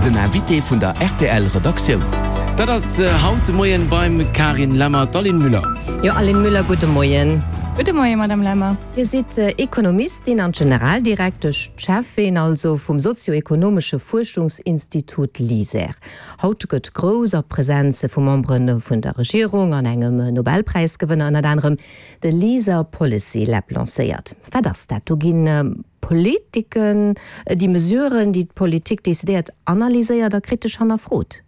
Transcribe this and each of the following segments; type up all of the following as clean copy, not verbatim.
Den Invité vun der rtl Redaktioun. Dat ass haut de Moien beim Carine Lemmer d'Aline Müller. Jo Aline Müller, gudde Moien. Gudde Moien Madame Lemmer. Dir sidd Ekonomistin an Generaldirektesch, d'Cheffin also vum sozio-ekonomesche Fuerschungsinstitut LISER. Haut gëtt grouss a Presenz vu Membere vun der Regierung an engem Nobelpräisgewënner ënnert anerem de LISER Policy Lab lancéiert. Wat ass dat? Do ginn Politiken, déi Mesuren, déi d'Politik decidéiert, analyséiert a kritesch hannerfrot.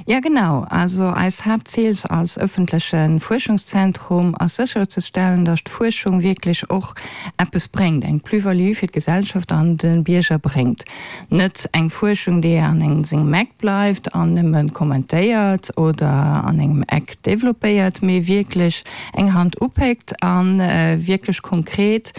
Ja genau. Also eis Haaptzil als ëffentleche Fuerschungszentrum ass sécherzestellen, datt d'Fuerschung wierklech och eppes bréngt, eng Plus-value fir d'Gesellschaft an de Bierger bréngt. Net eng Fuerschung, déi an engem sengem Eck bleift an nëmme kommentéiert oder an engem Eck développéiert, mee wierklech eng Hand upéckt a wierklech konkret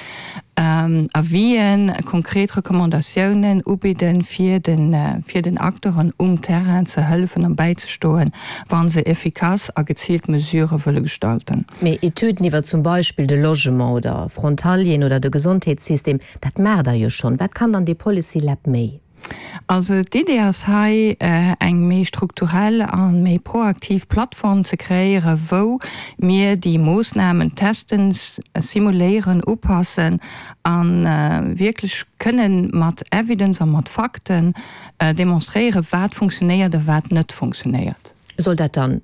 Avisen, konkret Recommandatiounen ubidden, fir den Acteuren um Terrain ze hëllefen an bäizestoen, wa se efficace a geziilt Mesurë wëlle gestalten. Mee Etüden iwwer zum Beispill de Logement oder Frontalieren oder de Gesondheetssystem, dat maacht Der jo schonn. Wat kann dann dee Policy Lab méi? Also d'Idee ass hei, eng méi strukturell a méi proaktiv Plattform ze kreéieren, wou mir déi Moossnamen testen, simuléieren, upassen a wierklech kënnen mat Evidence a mat Fakten demonstréieren, wat funktionéiert a wat net funktionéiert. Soll dat dann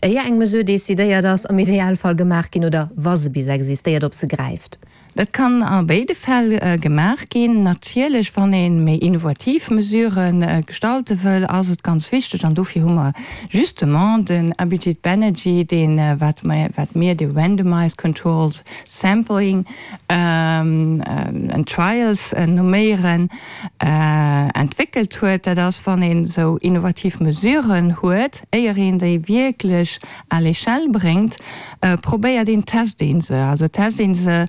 éier eng Mesure decidéiert ass, am Idealfall gemaach ginn, oder wa se bis existéiert, ob se gräift? Dat kann a béide Fäll gemaach ginn. Natierlech, wann ee méi innovativ Mesurë gestalte wëll, ass et ganz wichteg, an dofir hu mer justement den Abhijit Banerjee, deen, wat wat mir de randomized controlled sampling and trials nomméieren, entwéckelt huet. Dat ass, wann een esou innovativ Mesuren huet, éier een déi wierklech à l'échelle bréngt, probéiert een, test een se. Also test een se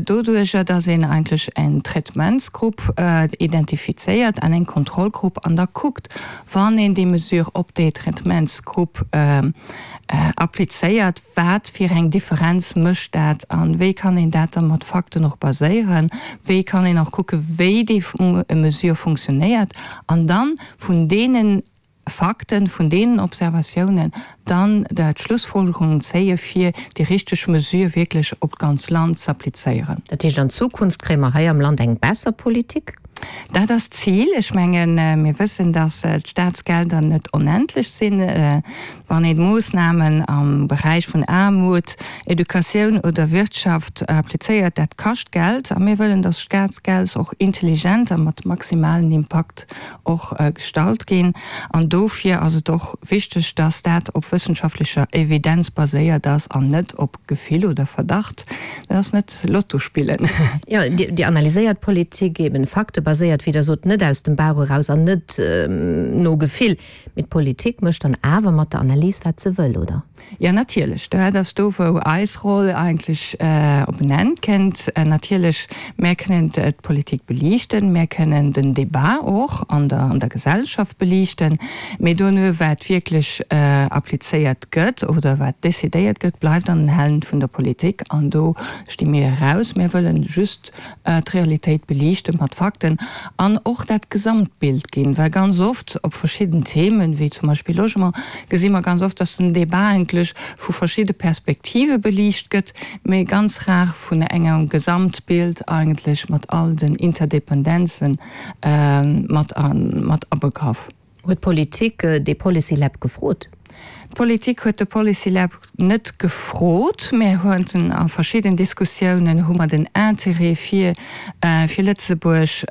doduercher, dass een eigentlech en Traitementsgrupp identifizéiert an eng Kontrollgrupp an da kuckt, wann een déi Mesure op déi Traitementsgrupp applizéiert, wat fir eng Differenz mécht dat an wéi kann een dat da mat Fakten och baséieren, wéi kann een och kucke wéi déi Mesure funktionéiert an dann vun deenen Fakten, vun deenen Observatiounen dann d'Schlussfolgerungen zéie fir déi richteg Mesure wierklech op d'ganz Land z'applizéieren. Dat heescht, an Zukunft kréie mer hei am Land eng besser Politik? Dat ass d'Zil. Ech mengen, mir wëssen, datt d'Staatsgelder net onendlech sinn. Wann een Moossnamen am Beräich vun Aarmut, Educatioun oder Wirtschaft applizéiert, dat kascht Geld. A mir wëllen, datt Staatsgeld och intelligent a mat maximalen Impakt och gestallt ginn. An dofir ass et och wichteg, dass dat op wëssenschaftlecher Evidenz baséiert ass an net op Gefill oder Verdacht. Dat ass net Lotto spillen. Jo, Dir analyséiert Politik eben faktebaséiert, wéi Der sot, net aus dem Bauch eraus an net no Gefill. Mee d'Politik mécht dann awer mat der Analys, wat se wëll, oder? Jo, natierlech. Dat ass do, wou eis Roll eigentlech op en Enn kënnt. Natierlech, mär kënnen d'Politik beliichten, mär kënnen den Débat och an der an der Gesellschaft beliichten, mee dono, wat wierklech applizéiert gëtt oder wat decidéiert gëtt, bleift an den Hänn vun der Politik. An do sti mir eraus. Mir wëllen just d'Realitéit beliichten mat Fakten an och dat Gesamtbild ginn, well ganz oft op verschidden Themen, wéi zum Beispill Logement, gesi mer ganz oft, dass den Débat eigentlech vu verschidde Perspektive beliicht gëtt, mee ganz rar vun engem Gesamtbild eigentlech mat all den Interdependenzen mat abegraff. Huet d'Politik dee Policy Lab gefrot? D'Politik huet de Policy Lab net gefrot. Mir hunn a verschidden Diskussiounen hu mer den Intérêt fir fir Lëtzebuerg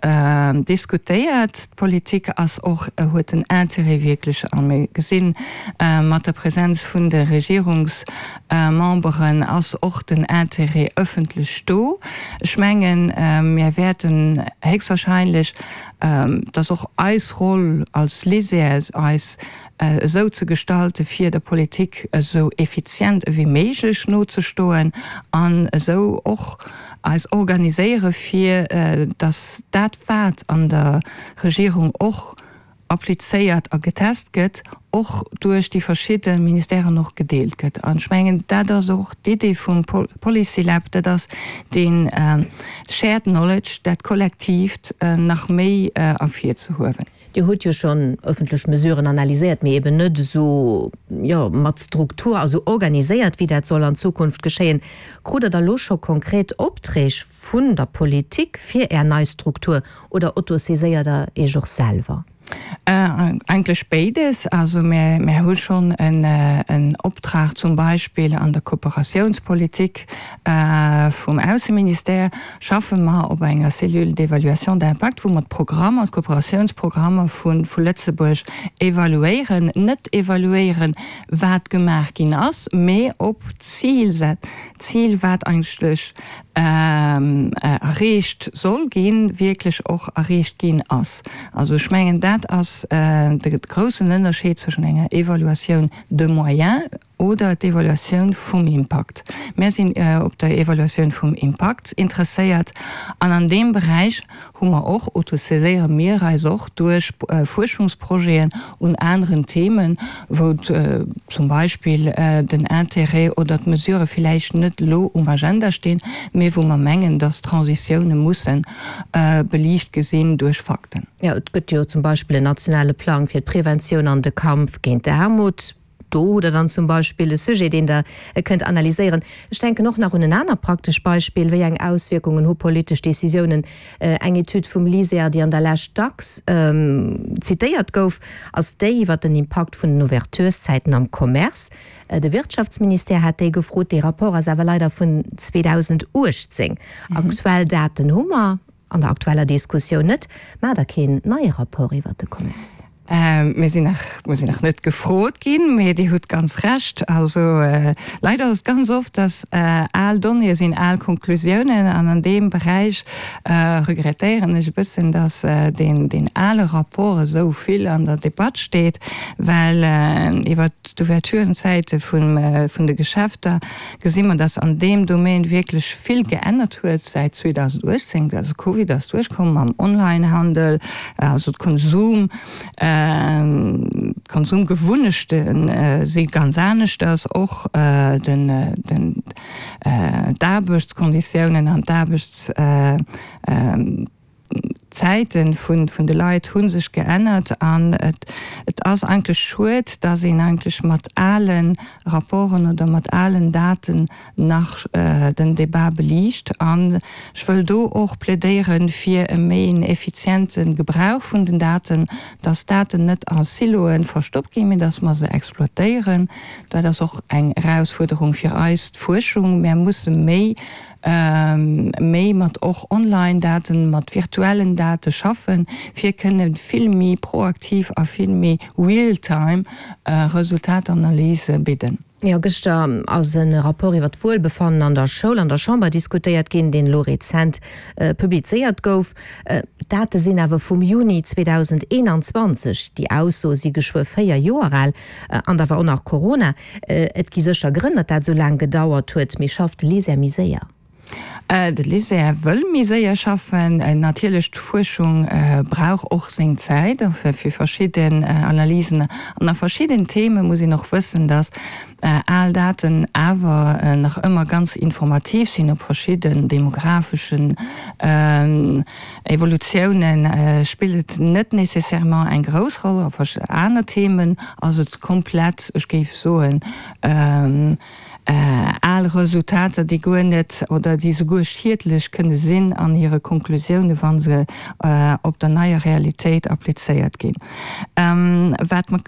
diskutéiert. D'Politik ass och huet den Intérêt wierklech a mir gesinn mat der Präsenz vun de Regierungsmemberen ass och den Intérêt ëffentlech do. Ech mengen, mir wäerten héchstwahrscheinlech Et ass och eis Roll als LISER, eis esou ze gestalten, fir der Politik esou effizient ewéi méiglech nozestoen an esou och eis organiséieren, fir datt dat, wat an der Regierung och applizéiert a getest gëtt, och duerch déi verschidde Ministèren och gedeelt gëtt. An ech mengen, dat ass och d'Idee vum Policy Lab, dat ass dee shared knowledge, dat Kollektiivt nach méi ervirzehuewen. Dir hutt jo schonn ëffentlech Mesuren analyséiert, mee eben net esou, jo, mat Struktur a sou organiséiert, wéi dat soll an Zukunft geschéien. Krut Der da lo scho konkret Opträg vun der Politik fir Är nei Struktur oder autosaiséiert Der Iech och selwer? Eigentlech béides. Also mir hu schonn en Optrag zum Beispill an der Kooperatiounspolitik vum Ausseministère schaffe mer op enger Cellule d'évaluation d'impact, wou mer d'Programmer, d'Kooperatiounsprogrammer vu Lëtzebuerg evaluéieren. Net evaluéieren, wat gemaach ginn ass, mee op d'Zil, d'Zil wat eigentlech erreecht soll ginn, wierklech och erreecht ginn ass. Also ech mengen, dat ass de groussen Ënnerscheed zwëschen enger Evaluatioun de moyens oder d'Evaluatioun vum Impakt. Mär sinn op der Evaluatioun vum Impakt interesséiert an an deem Beräich hu mer och, autosaiséiere mir eis och duerch Fuerschungsprojeten un aneren Themen, wou zum Beispill den Intérêt oder d'Mesurë villäicht net elo um Agenda stinn, mee wou mer mengen, dass Transitioune musse beliicht gesinn duerch Fakten. Jo, et gëtt jo zum Beispill en nationale Plang fir d'Preventioun an de Kampf géint d'Aarmut. Do hutt Der dann zum Beispill e Sujet, deen Der kënnt analyséieren. Ech denken och nach un en anert praktesch Beispill, Wéi eng Auswierkungen hu politesch Décisiounen? Eng Etüd vum LISER, déi an der Lescht dacks zitéiert gouf, ass déi iwwert den Impakt vun den Ouvertureszäiten am Commerce. De Wirtschaftsministère hat déi gefrot. Dee Rapport ass awer leider vun 2018. Aktuell Daten hu mer An der aktueller Diskussioun net. Maacht Der keen neie Rapport iwwert de Commerce? Mir sinn nach, mir sinn nach net gefrot ginn, mee Dir hutt ganz Recht. Also leider ass et ganz oft, dass al Donnéeë sinn al Konklusiounen. An an deem Beräich regrettéieren ech e bëssen, dass deen, deen ale Rapport esou vill an der Debatt steet, well iwwert d'Ouverturenzäite vun, vun de Geschäfter gesi mer, dass an deem Domaine wierklech vill geännert huet säit 2018. Also Covid ass duerchkomm mam Onlinehandel, also d'Konsum, d'Konsumgewunnechte si ganz aneschters, och den, den, d'Aarbechtskonditiounen an d'Aarbechts, D'Zäite vun de Leit hu sech geännert an et ass eigentlech schued, dass een eigentlech mat ale Rapporten oder mat alen Daten nach den Débat beliicht. An ech wëll do och plädéiere fir e méi en effiziente Gebrauch vun den Daten, dass d'Daten net a Siloe verstoppt ginn, mee dass mer se exploitéieren. Dat ass och eng Erausfuerderung fir eis, d'Fuerschung. Mär musse méi méi mat och Online-Daten, mat virtuellen Date schaffen, fir kënne vill méi proaktiv a vill méi real-time Resultatanalyse bidden. Jo, gëschter ass e Rapport iwwer d'Wuelbefannen an der Schoul an der Chamber diskutéiert ginn, deen elo rezent publizéiert gouf. D'Date sinn awer vum Juni 2021, déi Aussoe si geschwë 4 Joer al, an da war och nach Corona. Et gi sécher Grënn, datt dat esou laang gedauert huet, mee schafft de LISER méi séier? De LISER wëll méi séier schaffen. Natierlech, d'Fuerschung brauch och seng Zäit fir verschidden Analysen. An a verschidden Theme muss een och wëssen, datt al Daten awer nach ëmmer ganz informativ sinn op verschidden demographeschen Evolutiounen spillt et net nécessairement eng grouss Roll. A aner Themen ass et komplett, ech géif soen, al Resultater, déi guer net oder déi souguer schiedlech kënne sinn an hire Konklusiounen, wa se op der neier Realitéit applizéiert ginn. Wat mer,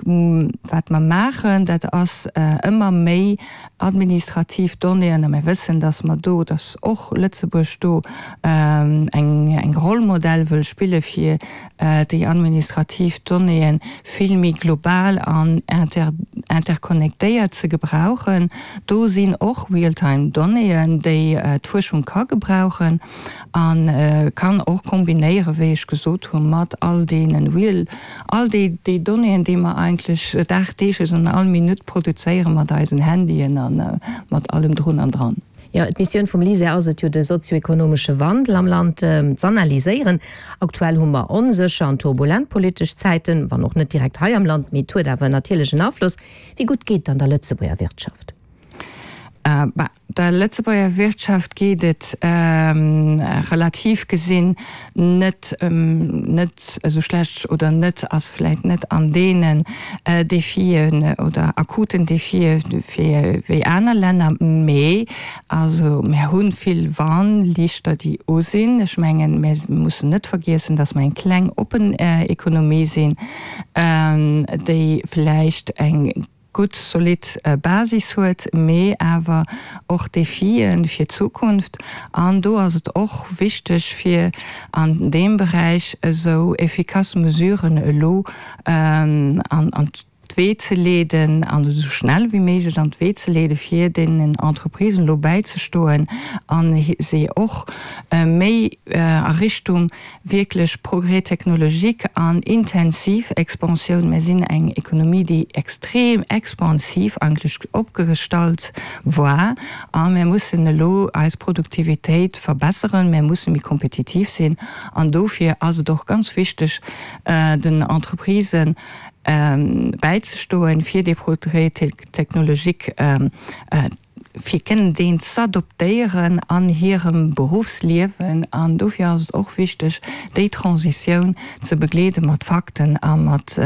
wat mer maachen, dat ass ëmmer méi administrativ Donnéeën, a mir wëssen, dass mer do, dass och Lëtzebuerg do eng, eng Rollmodell wëll spille fir déi administrativ Donnéeën vill méi global an inter, interconnectéiert ze gebrauchen. Do sinn och real-time Donnéeën, déi d'Fuerschung ka gebrauchen. A kann och kombinéieren, wéi ech gesot hunn, mat all deene real, all déi, déi Donnéeën, déi mer eigentlech dagdeeglech an all Minutt produzéiere mat eisen Handyen a mat allem drun an dran. Jo, d'Missioun vum LISER ass et jo, de sozioekonomesche Wandel am Land z'analyséieren. Aktuell hu mer onsécher an turbulent politesch Zäiten, wann och net direkt hei am Land, mee et huet awer natierlech en Afloss. Wéi gutt geet et dann der Lëtzebuerger Wirtschaft? Bah, der Lëtzebuerger Wirtschaft geet et relativ gesinn net net esou schlecht oder net, ass vläicht net an deenen Defien oder akuten Defie wéi aner Länner, mee also mär hu vill Warnliichter déi u sinn. Ech mengen, mär mussen net vergiessen, datt mer eng kleng oppen Ekonomie sinn, déi vläicht eng gutt zolidd Basis huet, mee awer och Defie fir d'Zukunft. An do ass et och wichteg, fir an deem Beräich esou efficace Mesuren elo an d'Wee ze leeden an esou schnell wéi méiglech an d'Wee ze leeden, fir deenen Entreprisen elo bäizestoen a se och méi a Richtung wierklech Progrès technologique an intensiv Expansioun. Mir sinn eng Ekonomie, déi extrem expansiv eigentlech opgestallt war a mir mussen elo eis Produktivitéit verbesseren, mir musse méi kompetitiv sinn an dofir ass et och ganz wichteg, den Entreprisen bäizestoen, fir dee Progrès technologique fir kënnen deen z'adoptéieren an hirem Beruffsliewen. An dofir ass et och wichteg, déi Transitioun ze begleede mat Fakten a mat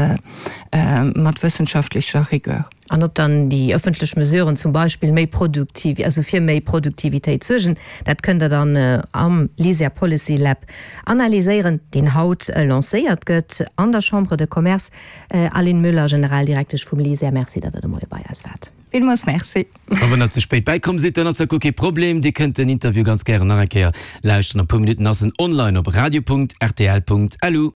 mat wëssenschaftlecher Rigueur. An ob dann déi ëffentlech Mesuren zum Beispill méi produktiv, also fir méi Produktivitéit suergen, dat kënnt Der dann am LISER Policy Lab analyséieren, deen haut lancéiert gëtt an der Chambre de Commerce. Aline Müller, Generaldirektesch vum LISER, Merci, datt Der de Moie bei eis waart. Villmools Merci. A wann der ze spéit bäikomm sidd, dann ass dat guer kee Problem. Dir kënnt den Interview ganz gären nach eng Kéier lauschteren. A puer Minutten ass en online op radio.rtl.lu.